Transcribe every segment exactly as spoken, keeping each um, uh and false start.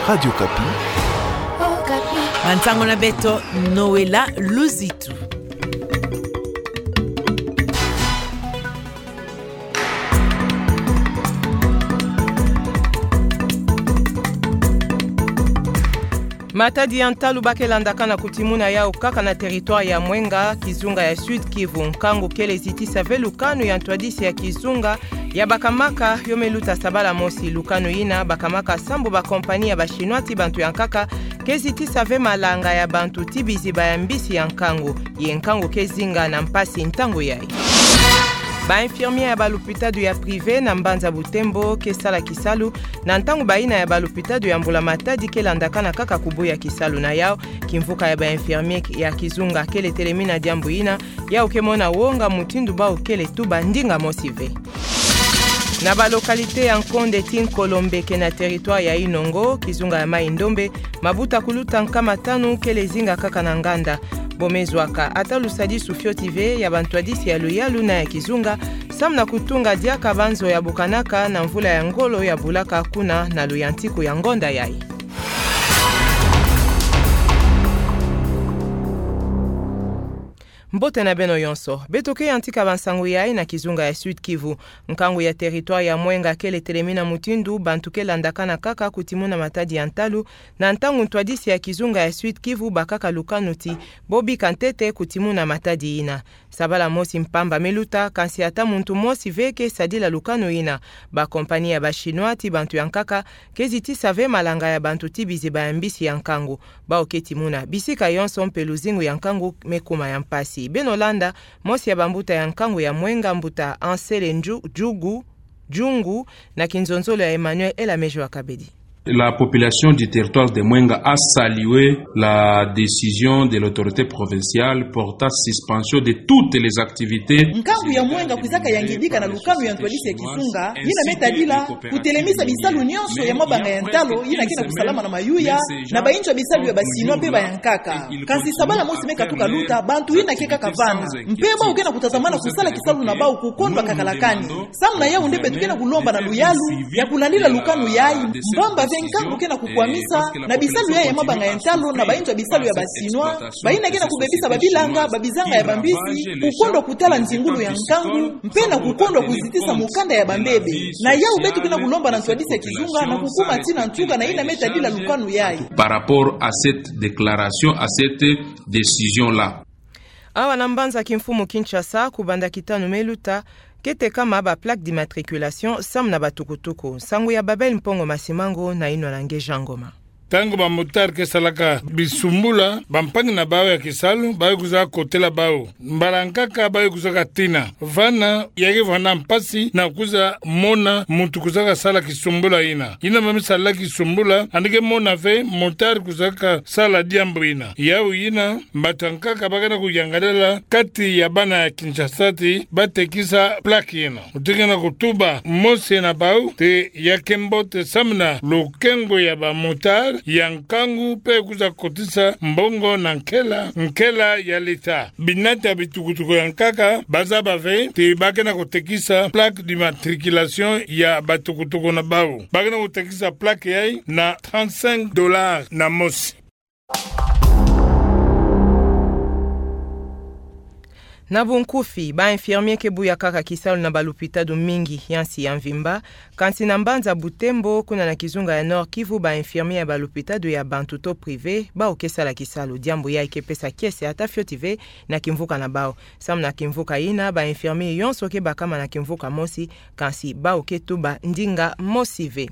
Radio Okapi. Bansango na beto, Noëlla Luzitu. Matadi ya ntalu ba ke landakana kutimuna yau kaka na territoire ya Mwenga, kizunga ya Sud-Kivu. Nkangu kele zitisa ve lukanu ya ntwadisi ya kizunga ya bakamaka yo me luta sabala mosi. Lukanu yina bakamaka sambu ba compagnie ya ba Chinois ti bantu ya nkaka ke zitisa ve malanga ya bantu ti biziba ya mbisi ya nkangu. Ye nkangu ke zinga na mpasi ntangu yai. Ba infirmier ya ba lupitadu ya privé na mbanza Butembo ke sala kisalu na ntangu bayina ya ba lupitadu ya mbula-matadi ke landakana kaka kubuya kisalu. Na yau, kimvuka ya ba infirmier ya kizunga kele telemina diambu yina, yau ke mona wonga mutindu bau kele tuba ndinga mosi ve. Na ba localité ya Nkonde ti Nkolombe ke na territoire ya Inongo, kizunga ya Mai-Ndombe, mabuta kuluta nkama tanu kele zinga kaka na nganda. Bo me zwa ka ata lusadisu fioti ve ya ba ntwadisi ya luyalu na ya kizunga, samu na kutunga diaka ba nzo ya bukanaka na mvula ya ngolo ya bulaka kuna na luyantiku ya ngonda yai. Mbote na beno yonso. Beto ke yantika bansangu yai na kizunga ya Sud-Kivu. Nkangu ya territoire ya Mwenga kele telemina mutindu bantu ke landakana kaka kutimuna matadi ya ntalu, na ntangu ntwadisi ya kizunga ya Sud-Kivu bakaka lukanu ti bo bika ntete kutimuna matadi yina. Sabala mosi mpamba me luta, kansi ata muntu mosi ve ke sadila lukanu yina. Ba compagnie ya ba Chinois ti bantu ya nkaka ke zitisa ve malanga ya bantu ti biziba ya mbisi ya nkangu. Bau ke timuna bisika yonso mpe luzingu ya nkangu me kuma ya mpasi. Beno landa mosi ya bambuta ya nkangu ya Mwenga, mbuta Ansele Nju-, Jugu, Jungu, na kinzonzolo ya Emmanuel Elamejo Akabedi. La population du territoire de Mwenga a salué la décision de l'autorité provinciale portant suspension de toutes les activités. Nkangu ya Mwenga kwizaka yangidika na lukanu ya ntwadisi ya kizunga yina me tadila kutelemisa bisalu nyonso ya mabanga ya ntalu yina ke na kusalama na mayuya na bayinzo ya bisalu ya ba Chinois mpe ba ya nkaka. Kansi sabala mosi me katuka luta, bantu yina ke kaka vana. Mpe bau ke na kutazamana kusala kisalu na bau kukondwa kakalakani. Samu na yau nde beto ke na kulomba na luyalu ya kulandila lukanu yai, mpamba ve nkangu ke na kukwamisa na bisalu yai ya mabanga ya ntalu na bayinzo ya bisalu ya ba Chinois, bayina ke na kubebisa babilanga, babizanga ya bambisi, kukondwa kutala nzingulu ya nkangu, mpe na kukondwa kuzitisa mukanda ya bambebe. Na yau beto ke na kulomba na ntwadisi ya kizunga na kukuma tii na ntuka na yina me tadila lukanu yai. Par rapport à cette déclaration, à cette décision-là. Awa na mbanza kimfumu Kinshasa, kubanda kitanu me luta, ke tekama ba plaque d'immatriculation samu na batukutuku. Nsangu ya Babel Mpongo Masimango na yinwa na nge Jean Ngoma. Ntangu ba motard ke salaka bisumbula, bampangi na bau ya kisalu ba ye kwiza kotela bau. Mbala nkaka ba ye kwizaka tina. Vana, ya ke vwanda mpasi na kwiza mona muntu kwizaka sala kisumbula yina. Yina mama me sala kisumbula, yandi ke mona ve motard kwizaka sala diambu yina. Yau yina, bato ya nkaka ba ke na kuyangalala kati ya bana ya Kinshasa ti ba tekisa plaque yina. Muntu ke na kutuba mosi na bau ti ya ke mbote samu na lukengo ya ba motard ya nkangu mpe kwiza kotisa mbongo na nkela, nkela ya l'État. Binati ya bitukutuku ya nkaka ba zaba ve ti ba ke na kutekisa plaque d'immatriculation ya batukutuku na bau. Ba ke na kutekisa plaque yai na trente-cinq dollars na mosi. Na bunkufi, ba infirmier ke buya kaka kisalu na ba lupitadu mingi ya nsi ya mvimba, kansi na mbanza Butembo, kuna na kizunga ya Nord-Kivu, ba infirmier ya ba lupitadu ya bantu to privé, bau ke sala kisalu, diambu yai ke pesa kiese ata fioti ve na kimvuka na bau. Samu na kimvuka yina, ba infirmier yonso ke bakama na kimvuka mosi, kansi bau ke tuba ndinga mosi ve.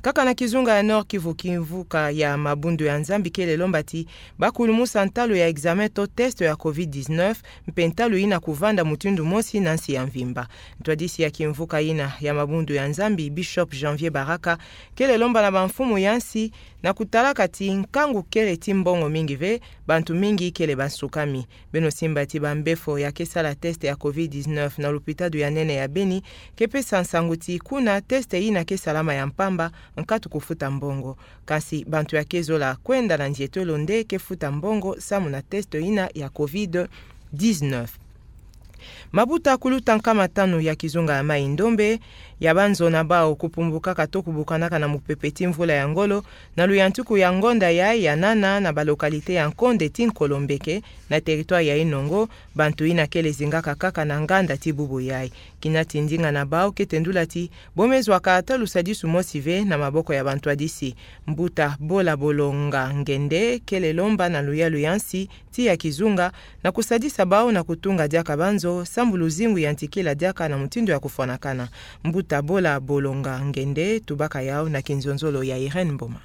Kaka na kizunga ya Nord-Kivu, kimvuka ya Mabundu ya Nzambi kele lomba ti ba kulumusa ntalu ya examen to test ya covid dix-neuf, mpe ntalu yina kuvanda mutindu mosi na nsi ya mvimba. Ntwadisi ya kimvuka yina ya Mabundu ya Nzambi, Bishop Janvier Baraka, kele lomba na bamfumu ya nsi na kutalaka ti nkangu kele ti mbongo mingi ve, bantu mingi kele bansukami. Beno simba ti bambefo ya ke sala test ya covid dix-neuf na lupitadu ya nene ya Beni ke pesa nsangu ti kuna test yina ke salama ya mpamba, nkatu kufuta mbongo. Kansi bantu ya ke zola kwenda na nzietolo nde ke futa mbongo samu na test yina ya covid dix-neuf. Mabuta kuluta nkama tanu ya kizunga ya Mai-Ndombe ya banzo na bau kupumbukaka to kubukanaka na mupepe ti mvula ya ngolo, na luyantiku ya ngonda yayi ya nana na ba localité ya Nkonde ti Nkolombeke, na territoire ya Inongo, bantu yina kele zingaka kaka na nganda ti bubu yayi. Kina ti ndinga na bau kete ndula ti, bo me zwaka ata lusadisu mosi ve na maboko ya bantu yadisi. Mbuta Bola Bolonga Ngende kele lomba na luyalu ya nsi, tiya kizunga, na kusadisa bau na kutunga diaka banzo, sambu luzingu yantikila diaka na mutindu ya kufwanakana. Mbuta Bola Bolonga Ngende tubaka yau na kinzonzolo ya Irène Mboma.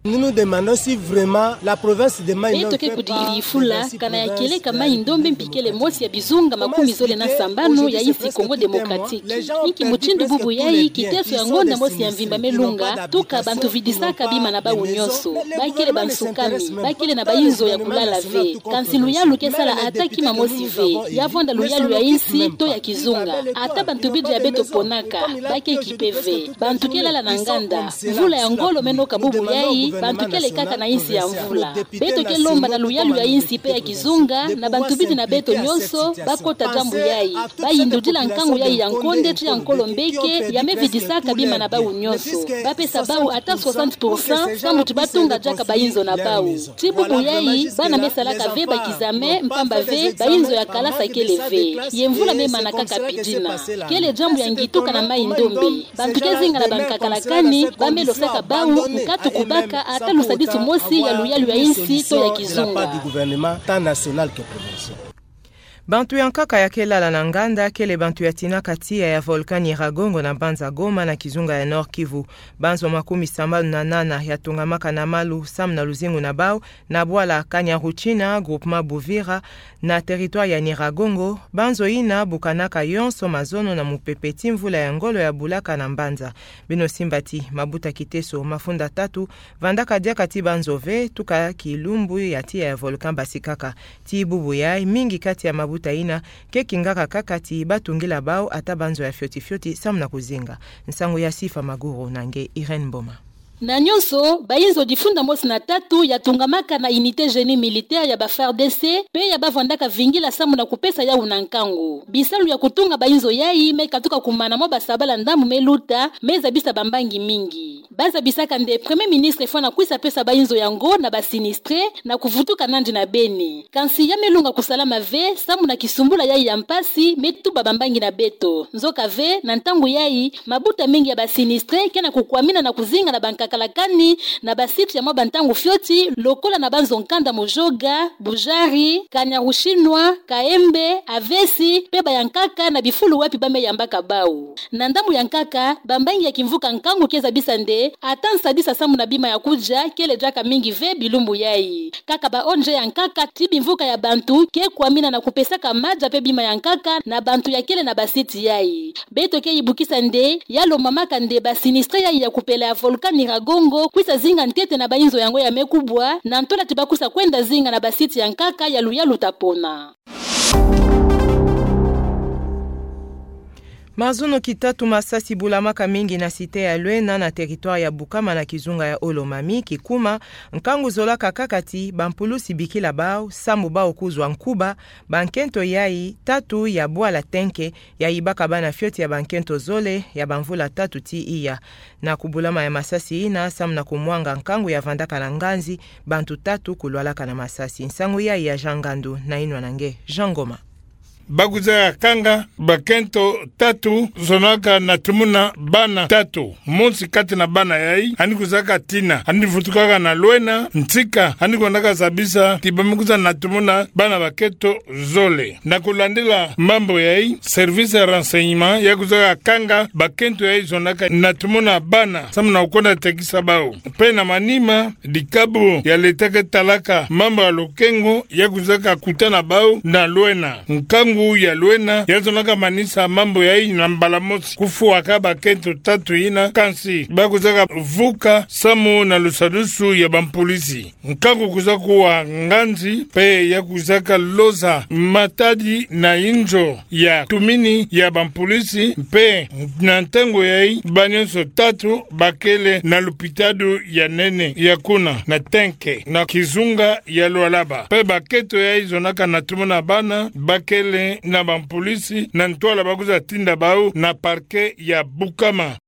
Nous nous demandons si vraiment la province de Maï-Nord. Beto ke kudikidi fula, kana ya kieleka Maï-Ndombe mpi kele mosi ya bizunga makumi zole na sambanu ya insi Congo Démocratique. Inki mutindu bubu yayi kiteso ya ngonda mosi ya mvimba me lunga, tuka bantu vidisaka bima na bau nyonso. Ba kele bansukani, ba kele na bainzo ya kulala ve. Kansi luyalu ke sala ata kima mosi ve. Ya vwanda luyalu ya insi to ya kizunga. Ata bantu bidi ya beto ponaka, ba ke kipe ve. Bantu ke lala na nganda. Mvula ya ngolo me noka bubu yayi, bantu kele kaka na insi ya mvula. Beto ke lomba na luyalu ya insi pe ya kizunga, na bantu bidi na beto nyonso, ba kota diambu yayi. Ba yindudila nkangu yayi ya Nkonde ti ya Nkolombeke, ya me vidisaka bima na bau nyonso. Ba pesa bau ata soixante pour cent, sambu ti ba tunga diaka bainzo na bau. Ti bubu yayi, bana me salaka ve ba kizame, mpamba ve, bainzo ya kalasa kele ve. Ye mvula me mana kaka pi dina. Kele diambu ya ngituka na Maï-Ndombe. Bantu ke zinga na bankakala kani, ba me losaka bau, nkatu kubaka, ata lusadisu mosi ya luyalu ya insi to ya kizunga. Bantu ya nkaka ya ke lala na nganda, kele bantu ya tinaka tiya ya volcan Nyiragongo na mbanza Goma na kizunga ya Nord-Kivu. Banzo makumi sambanu na nana ya tungamaka na malu, samu na luzingu na bau, na bwala Kanyaruchinya, groupement Buvira, na territoire ya Nyiragongo, banzo yina bukanaka yonso mazono na mupepe ti mvula ya ngolo ya bulaka na mbanza. Beno simba ti, mabuta kiteso, mafunda tatu, vandaka diaka ti banzo ve, tuka kilumbu ya tiya ya volcan basikaka. Ti bubu yayi, mingi kati ya mabuta yina, ke kingaka kaka ti ba tungila bau ata banzo ya fioti fioti, samu na kuzinga. Nsangu ya Sifa Maguru na nge Irène Mboma. Na nyonso, bainzo difunda mosi na tatu ya tungamaka na unité génie militaire ya ba FARDC, pe ya ba vandaka vingila samu na kupesa yau na nkangu. Bisalu ya kutunga bainzo yayi me katuka kumana mwa basabala ndambu me luta, me zabisa bambangi mingi. Ba zabisaka nde Premier Ministre fwana kwisa pesa bainzo yango na ba sinistrés, na kuvutuka nandi na beni. Kansi ya me lunga kusalama ve, samu na kisumbula yayi ya mpasi, me tuba bambangi na beto. Nzoka ve, na ntangu yayi, mabuta mingi ya ba sinistrés ke na kukwamina na kuzinga na bankakala kani, na ba sites ya mwa bantangu fioti, lokola na banzo nkanda Mujoga, Bujari, Kanyaruchinya, Kaembe, Avesi, pe ba ya nkaka na bifulu wapi ba me yambaka bau. Na ndambu ya nkaka, bambangi ya kimvuka nkangu ke zabisa nde, ata nsadisa samu na bima ya kudia, kele diaka mingi ve bilumbu yayi. Kaka ba O N G ya nkaka, ti bimvuka ya bantu, ke kwamina na kupesaka madia pe bima ya nkaka, na bantu ya kele na ba sites yayi. Beto ke yibukisa nde, ya lomamaka nde ba sinistrés yayi ya kupela ya volcan Nyiragongo, kwisa zinga ntete na bainzo yango ya me kubwa, na ntola ti ba kwisa kwenda zinga na ba sites ya nkaka ya luyalu ta pona. Mazono kitatu masasi bulamaka mingi na cité ya Luena na territoire ya Bukama na kizunga ya Haut-Lomami, kikuma, nkangu zolaka kaka ti, bampulusi bikila bau, samu bau kuzwa nkuba, bankento yayi, tatu ya bwala Tenke, ya yibaka bana fioti ya bankento zole, ya bamvula tatu ti iya. Na kubulama ya masasi yina, samu na kumwanga nkangu ya vandaka na nganzi, bantu tatu kulwalaka na masasi. Nsangu yayi ya Jean Ngandu, na yinwa na nge, Jean Ngoma. Ba kwiza kanga bakento tatu zonaka na tumuna bana tatu. Mosi kati na bana yayi, yandi kwizaka tina, yandi vutukaka na Luena, ntika, yandi kwendaka zabisa, ti ba me kwiza na tumuna bana bakento zole. Na kulandila mambu yayi, service ya renseignement, ya kwizaka kanga bakento yayi zonaka na tumuna bana, samu na kukwenda tekisa bau. Pe na manima, dikabu ya leta ke talaka mambu ya lokengo ya kwizaka kutana bau na Luena. Nkangu ya Luena ya zonaka manisa mambu yayi na mbala mosi, kufwaka bakento tatu yina, kansi ba kwizaka vuka samu na lusadusu ya bampulisi. Nkangu kwiza kuwa nganzi, pe ya kwizaka loza matadi na inzo ya tumini ya bampulisi, pe na ntangu yayi, ba nyonso tatu bakele na lupitalu ya nene ya kuna na Tenke, na kizunga ya Lualaba. Pe bakento yayi zonaka na tumuna bana bakele na bampolis na ntwala bakuza tinda bau na parquet ya Bukama.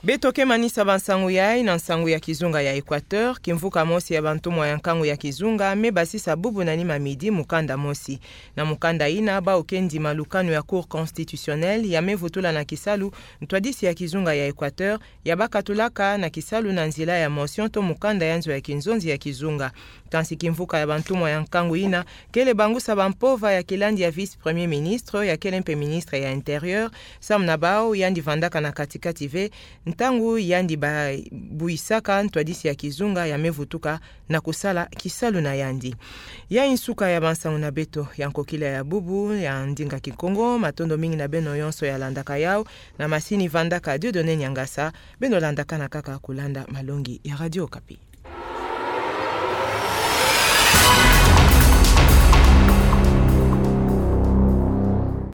Beto ke manisa bansangu yayi na nsangu ya kizunga ya Equateur. Kimvuka mosi ya bantumwa ya nkangu ya kizunga me basisa bubu na nima midi mukanda mosi. Na mukanda ina, bau ke ndima lukanu ya Cour constitutionnelle ya me vutula na kisalu ntwadisi ya kizunga ya Equateur, ya bakatulaka na kisalu na nzila ya motion to mukanda ya nzo ya kinzonzi ya kizunga. Kansi kimvuka ya bantumwa ya nkangu ina kele bangusa bampova ya kilandi ya vice-premier ministre, ya kele mpe ministre ya Intérieur, samu na bau yandi vandaka na kati-kati ve ntangu yandi ba-, buisaka ntwadisi ya kizunga ya me vutuka na kusala kisalu na yandi. Yayi nsuka ya bansangu na beto ya nkokila ya bubu ya ndinga Kikongo. Matondo mingi na beno yonso ya landaka yau na masini vandaka Dieudonné Niangasa. Beno landakana kaka kulanda malongi ya Radio Okapi.